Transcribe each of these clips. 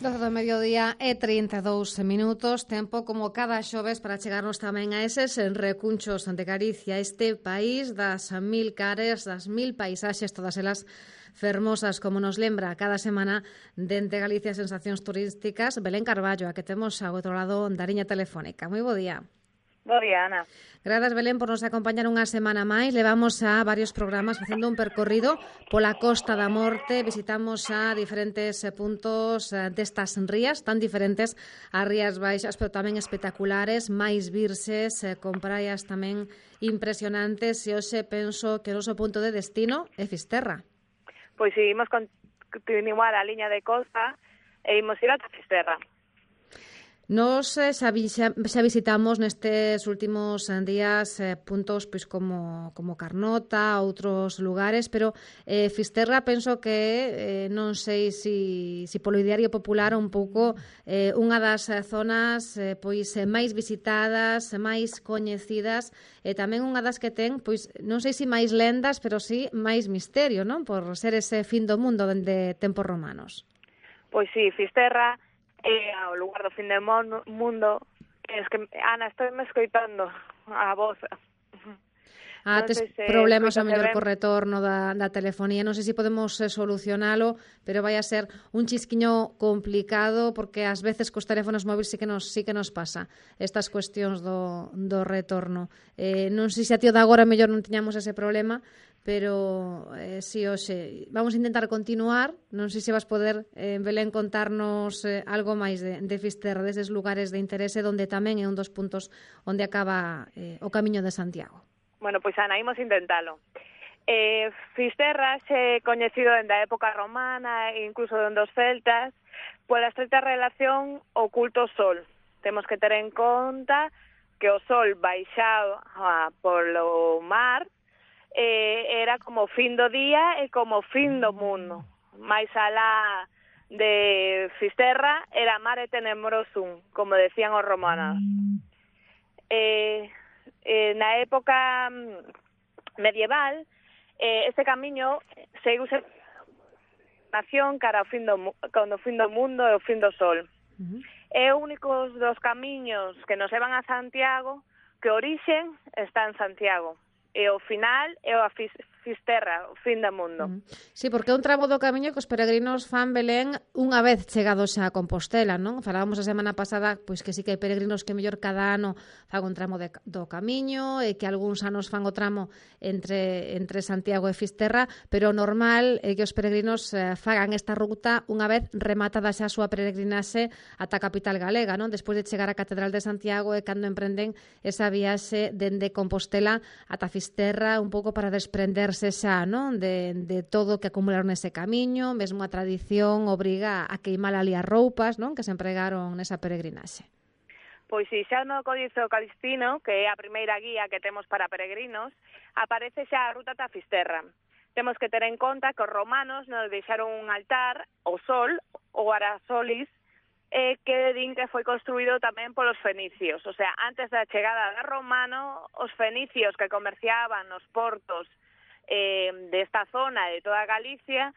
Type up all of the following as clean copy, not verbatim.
12 do mediodía e 32 minutos, tempo como cada xoves para chegarnos tamén a eses recunchos de Galicia, este país das mil cares, das mil paisaxes, todas elas fermosas, como nos lembra cada semana dende Galicia Sensacións Turísticas, Belén Carballo, a que temos ao outro lado da liña telefónica. Moi bo día. Bo día, Ana. Grazas, Belén, por nos acompañar unha semana máis. Levamos a varios programas facendo un percorrido pola Costa da Morte. Visitamos a diferentes puntos destas rías, tan diferentes as rías baixas, pero tamén espectaculares, máis virses, con praias tamén impresionantes. E hoxe penso que o noso punto de destino é Fisterra. Pois si, imos continuar a liña de costa e imos ir ata Fisterra. Nos xa visitamos nestes últimos días puntos pois como Carnota, outros lugares, pero Fisterra penso que non sei si polo ideario popular un pouco unha das zonas pois máis visitadas, máis coñecidas e tamén unha das que ten, pois non sei se máis lendas, pero si máis misterio, non? Por ser ese fin do mundo dende tempos romanos. Pois si, Fisterra é ao lugar do fin do mundo. Es que, Ana, estou me escoitando a voz. Tes problemas ao mellor co retorno da telefonía. Non sei se podemos solucionalo, pero vai a ser un chisquiño complicado porque ás veces cos teléfonos móviles sí que nos pasa estas cuestións do retorno. Non sei se a tío de agora mellor non tiñamos ese problema, pero si hoxe vamos a intentar continuar. Non sei se vas poder, Belén, contarnos algo máis de Fisterra, deses lugares de interese onde tamén é un dos puntos onde acaba o Camiño de Santiago. Bueno, pois Ana, imos intentalo. Fisterra é coñecido dende a época romana e incluso dende os celtas pola estreita relación ao culto ao sol. Temos que ter en conta que o sol baixado polo mar era como fin do día e como fin do mundo. Mais alá de Fisterra era mare tenebrosum, como decían os romanos. Na época medieval, este camiño seguiuse nación cara ao fin do mundo e o fin do sol. É o único dos camiños que nos levan a Santiago que o orixen está en Santiago. E o final é a Fisterra, o fin do mundo. Sí, porque é un tramo do camiño que os peregrinos fan, Belén, unha vez chegados a Compostela, non? Falábamos a semana pasada pois que sí que hai peregrinos que mellor cada ano fan un tramo do camiño e que algúns anos fan o tramo entre Santiago e Fisterra, pero o normal é que os peregrinos fagan esta ruta unha vez rematada xa a súa peregrinaxe ata a capital galega, non? Despois de chegar á Catedral de Santiago é cando emprenden esa viaxe dende Compostela ata Fisterra, un pouco para desprenderse xa, non? De todo o que acumularon nese camiño, mesmo a tradición obriga a queimar ali as roupas, non? Que se empregaron nesa peregrinaxe. Pois si, xa no Códice Calistino, que é a primeira guía que temos para peregrinos, aparece xa a ruta ata Fisterra. Temos que ter en conta que os romanos nos deixaron un altar, o sol, o Arasolis, que din que foi construído tamén polos fenicios. O sea, antes da chegada de romano, os fenicios que comerciaban nos portos desta zona de toda Galicia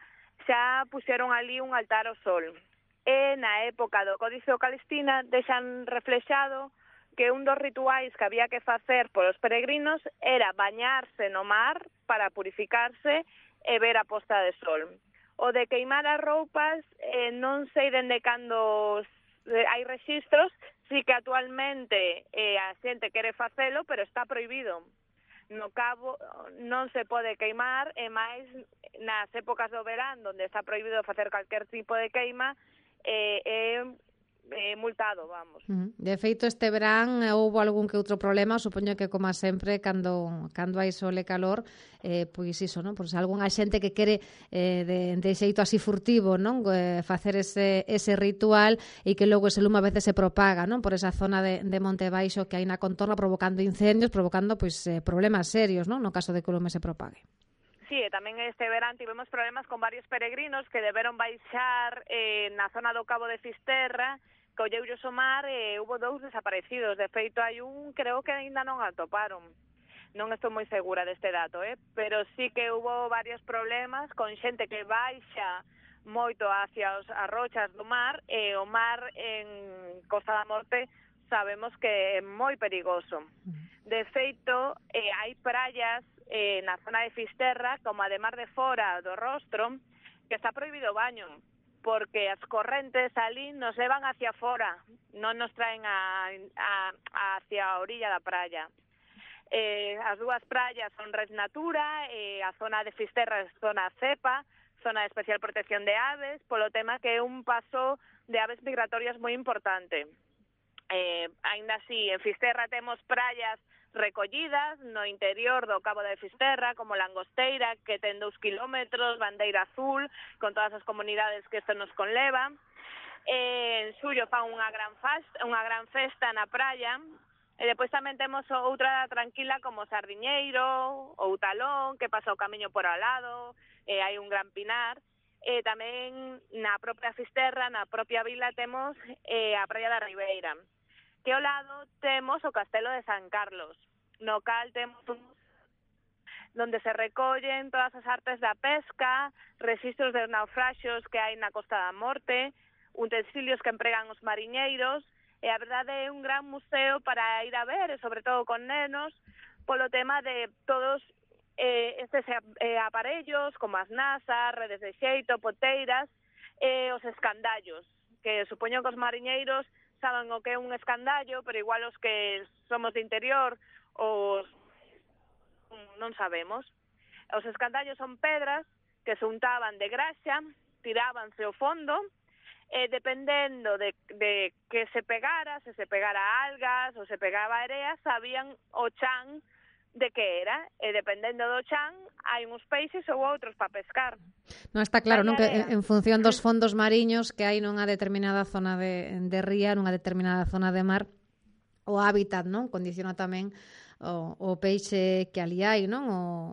xa puxeron ali un altar ao sol. E na época do Códice Calistino deixan reflexado que un dos rituais que había que facer polos peregrinos era bañarse no mar para purificarse e ver a posta de sol. O de queimar as roupas, non sei dende cando hai rexistros, sí que actualmente a xente quere facelo, pero está prohibido. No cabo non se pode queimar, e máis nas épocas do verán, onde está prohibido facer calquer tipo de queima, multado, vamos. De feito, este verán houve algún que outro problema, supoño que como sempre cando hai sol e calor, pois iso, non? Pois algunha xente que quere de xeito así furtivo, non? Facer ese ritual e que logo ese lume a veces se propaga, non? Por esa zona de Monte Baixo que hai na contorna, provocando incendios, provocando pois problemas serios, non? No caso de que o lume se propague. Sí, e tamén este verán tivemos problemas con varios peregrinos que deberon baixar na zona do Cabo de Fisterra, colleullos o mar e hubo 2 desaparecidos. De feito, hai un, creo que aínda non atoparon. Non estou moi segura deste dato, pero sí que hubo varios problemas con xente que baixa moito hacia as rochas do mar, e o mar en Costa da Morte sabemos que é moi perigoso. De feito, hai praias na zona de Fisterra, como a de Mar de Fora do Rostro, que está prohibido o baño, porque as correntes ali nos levan hacia fora, non nos traen hacia a orilla da praia. As dúas praias son Red Natura, a zona de Fisterra é zona CEPA, zona de especial protección de aves, polo tema que é un paso de aves migratorias moi importante. Ainda así, en Fisterra temos praias recollidas no interior do Cabo de Fisterra, como Langosteira, que ten 2 kilómetros, Bandeira Azul, con todas as comunidades que isto nos conleva. En xullo fan unha gran festa na praia, e depois tamén temos outra tranquila como Sardiñeiro ou Talón, que pasa o camiño por ao lado, hai un gran pinar. Tamén na propia Fisterra, na propia vila, temos a praia da Ribeira, que ao lado temos o Castelo de San Carlos, no cal temos donde se recollen todas as artes da pesca, rexistros de naufraxios que hai na Costa da Morte, utensilios que empregan os mariñeiros, e a verdade é un gran museo para ir a ver, e sobre todo con nenos, polo tema de todos estes aparellos, como as nasas, redes de xeito, poteiras, os escandallos, que supoño que os mariñeiros saben o que é un escandallo, pero igual os que somos de interior non sabemos. Os escandallos son pedras que se untaban de graxa, tirábanse ao fondo, e dependendo de que se pegara, se pegara algas ou se pegaba area, sabían o chan de que era, e dependendo do chan hai uns peixes ou outros para pescar. Non está claro, non, que en función dos fondos mariños que hai nunha determinada zona de ría, nunha determinada zona de mar, o hábitat, non, condiciona tamén o peixe que ali hai, non?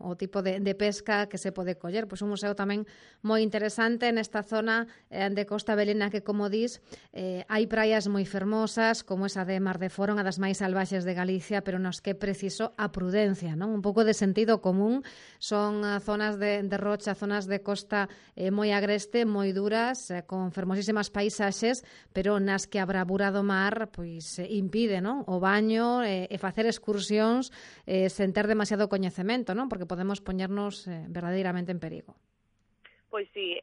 O tipo de pesca que se pode coller. Pois un museo tamén moi interesante nesta zona de Costa Belena, que, como dis, hai praias moi fermosas, como esa de Mar de Fora, unha das máis salvaxes de Galicia, pero nos que é preciso a prudencia, non? Un pouco de sentido común. Son zonas de rocha, zonas de costa moi agreste, moi duras, con fermosísimas paisaxes, pero nas que a bravura do mar pois impide, non? O baño e facer excursións sen ter demasiado coñecemento, non? Porque podemos poñernos verdadeiramente en perigo. Pois sí,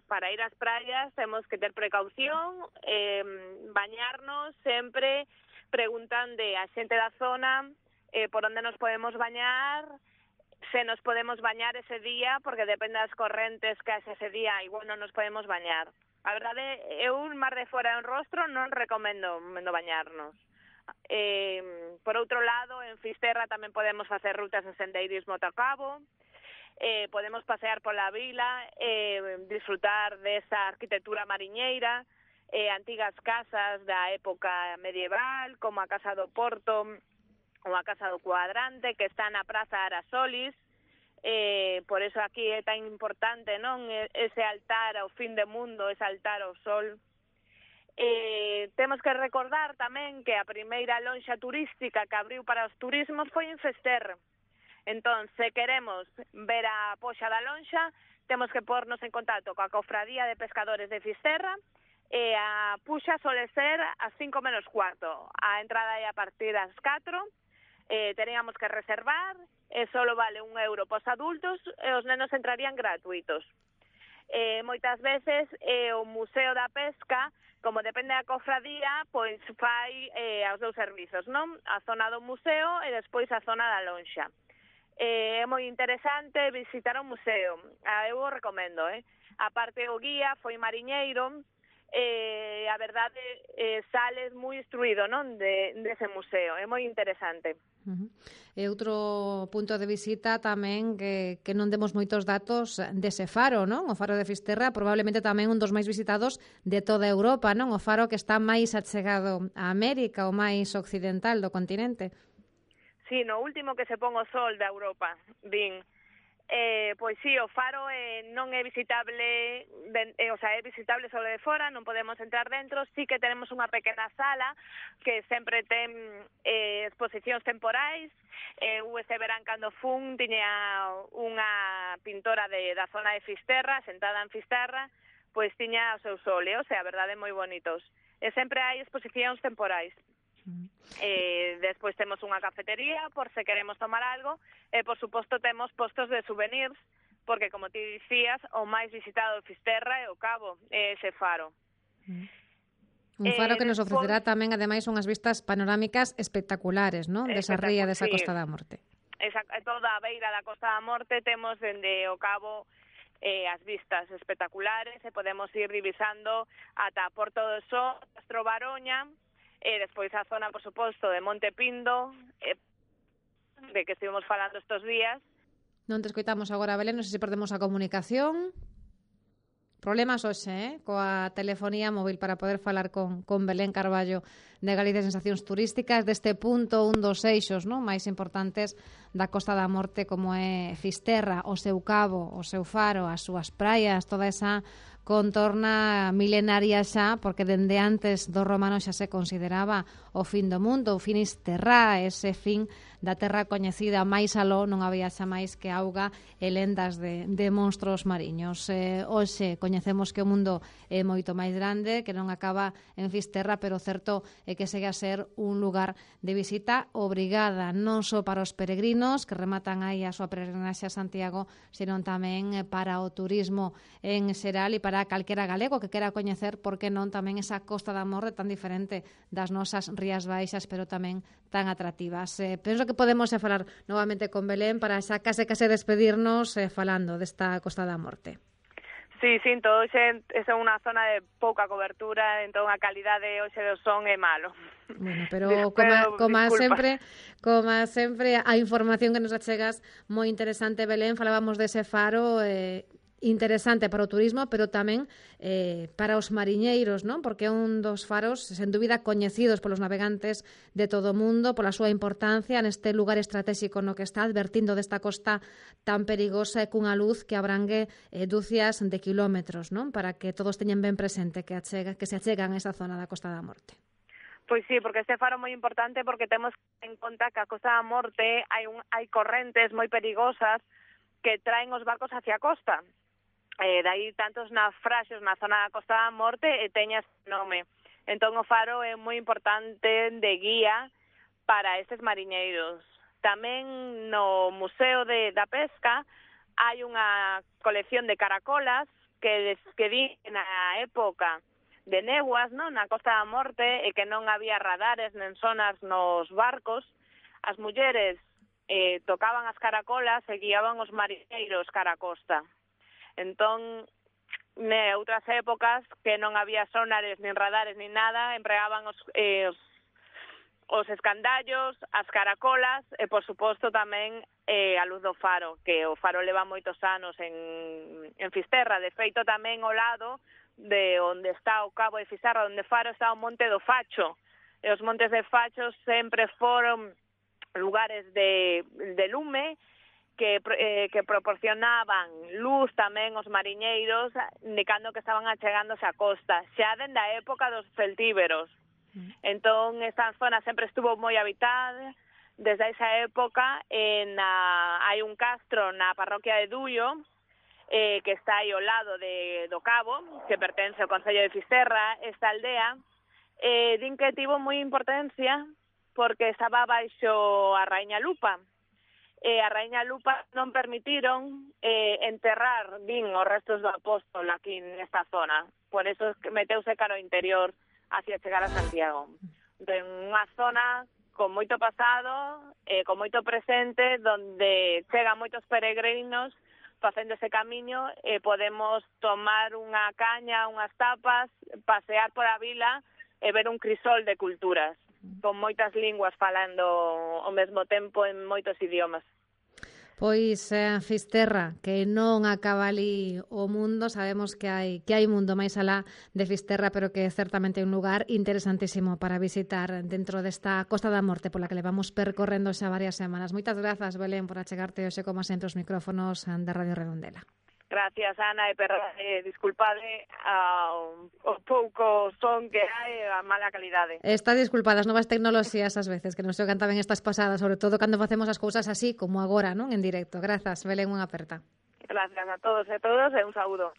para ir ás praias temos que ter precaución, bañarnos sempre preguntando a xente da zona por onde nos podemos bañar, se nos podemos bañar ese día, porque depende das correntes que haxe ese día, igual non nos podemos bañar. A verdade, eu un Mar de Fora en Rostro non recomendo bañarnos. Por outro lado, en Fisterra tamén podemos facer rutas de sendeirismo ata Cabo, podemos pasear pola vila, disfrutar desa arquitectura mariñeira, antigas casas da época medieval, como a Casa do Porto ou a Casa do Cuadrante, que está na Praza Arasolis. Por eso aquí é tan importante, non, ese altar ao fin do mundo, ese altar ao sol. Temos que recordar tamén que a primeira lonxa turística que abriu para os turismos foi en Fisterra. Entón, se queremos ver a poxa da lonxa, temos que pornos en contacto coa Cofradía de Pescadores de Fisterra, e a puxa sole ser ás 5 menos cuarto. A entrada é a partir das 4, teríamos que reservar, e solo vale €1 pos adultos, e os nenos entrarían gratuitos. Moitas veces o Museo da Pesca, como depende da cofradía, pois fai os dous servizos, non? A zona do museo e despois a zona da lonxa. É moi interesante visitar o museo, eu o recomendo, A parte o guía foi mariñeiro, a verdade sales moi instruído, non, dese museo, é moi interesante. E outro punto de visita tamén que non demos moitos datos dese faro, non? O faro de Fisterra, probablemente tamén un dos máis visitados de toda Europa, non? O faro que está máis achegado a América, o máis occidental do continente. Sí, no último que se pon o sol da Europa, din. Pois sí, o faro non é visitable, é visitable só de fora, non podemos entrar dentro, sí que tenemos unha pequena sala que sempre ten exposicións temporais. Este verán cando fun tiña unha pintora da zona de Fisterra, sentada en Fisterra, pois tiña os seus óleos, e a verdade moi bonitos. E sempre hai exposicións temporais. Despois temos unha cafetería por se queremos tomar algo, e por suposto temos postos de souvenirs, porque como ti dicías, o máis visitado de Fisterra é o Cabo, é ese faro. Un faro que nos ofrecerá tamén, ademais, unhas vistas panorámicas espectaculares, non? Desa ría, desa Costa da Morte. Toda a beira da Costa da Morte temos dende o Cabo as vistas espectaculares, e podemos ir divisando ata Porto do Sol, Castro Baroña, e despois a zona, por suposto, de Monte Pindo, de que estivemos falando estes días. Non te escoitamos agora, Belén, non sei se perdemos a comunicación. Problemas hoxe, coa telefonía móvil para poder falar con Belén Carballo de Galicia Sensacións Turísticas deste punto, un dos eixos, non, máis importantes da Costa da Morte, como é Fisterra, o seu cabo, o seu faro, as súas praias, toda esa contorna milenaria xa, porque dende antes dos romanos xa se consideraba o fin do mundo, o finis terra, ese fin da terra coñecida máis aló, non había xa máis que auga e lendas de monstros mariños. Hoxe coñecemos que o mundo é moito máis grande, que non acaba en Fisterra, pero certo é que segue a ser un lugar de visita obrigada, non só para os peregrinos que rematan aí a súa peregrinaxe a Santiago, senón tamén para o turismo en xeral e para calquera galego que quera coñecer, por que non, tamén esa Costa da Morte tan diferente das nosas Rías Baixas, pero tamén tan atractivas. Penso que podemos falar novamente con Belén para xa case despedirnos falando desta Costa da Morte. Sí, sinto, hoxe é unha zona de pouca cobertura, entón a calidade hoxe do son é malo. Bueno, pero como sempre, a información que nos achegas moi interesante, Belén. Falábamos dese faro interesante para o turismo, pero tamén para os mariñeiros, non? Porque é un dos faros, sen dúbida, coñecidos polos navegantes de todo o mundo, pola súa importancia neste lugar estratégico no que está, advertindo desta costa tan perigosa e cunha luz que abrangue dúcias de kilómetros, non? Para que todos teñen ben presente que se achegan a esa zona da Costa da Morte. Pois sí, porque este faro é moi importante porque temos en conta que a Costa da Morte hai correntes moi perigosas que traen os barcos hacia a costa. Dai tantos naufraxios na zona da Costa da Morte e teña ese nome. Entón o faro é moi importante de guía para estes mariñeiros. Tamén no Museo da Pesca hai unha colección de caracolas que di na época de neguas, non, na Costa da Morte, e que non había radares nen sonas nos barcos, as mulleres tocaban as caracolas e guiaban os mariñeiros cara a costa. Entón, outras épocas que non había sonares, nin radares, nin nada, empregaban os escandallos, as caracolas e, por suposto, tamén a luz do faro, que o faro leva moitos anos en Fisterra. De feito, tamén ao lado de onde está o Cabo de Fisterra, onde Faro está o Monte do Facho. E os montes de Facho sempre foron lugares de lume, que proporcionaban luz tamén aos mariñeiros, indicando que estaban achegándose á costa, xa dende a época dos celtíberos. Entón, esta zona sempre estuvo moi habitada. Desde esa época hai un castro na parroquia de Duio, que está aí ao lado do Cabo, que pertence ao Concello de Fisterra. Esta aldea din que tivo moi importancia porque estaba baixo a Raíña Lupa. A Raíña Lupa non permitiron enterrar, os restos do apóstol aquí nesta zona. Por eso meteuse cara ao interior hacia chegar a Santiago. Entón, unha zona con moito pasado, con moito presente, donde chegan moitos peregrinos facendo ese camiño e podemos tomar unha caña, unhas tapas, pasear por a vila e ver un crisol de culturas, con moitas linguas falando ao mesmo tempo en moitos idiomas. Pois Fisterra, que non acaba ali o mundo, sabemos que hai mundo máis alá de Fisterra, pero que certamente é un lugar interesantísimo para visitar dentro desta Costa da Morte pola que levamos percorrendo xa varias semanas. Moitas grazas, Belén, por achegarte hoxe como sempre os micrófonos da Radio Redondela. Gracias, Ana, e disculpade o pouco son que hai, a mala calidade. Está disculpadas, novas tecnoloxías ás veces que non se cantaban estas pasadas, sobre todo cando facemos as cousas así como agora, non, en directo. Grazas, Belén, unha aperta. Gracias a todos e todas e un saúdo.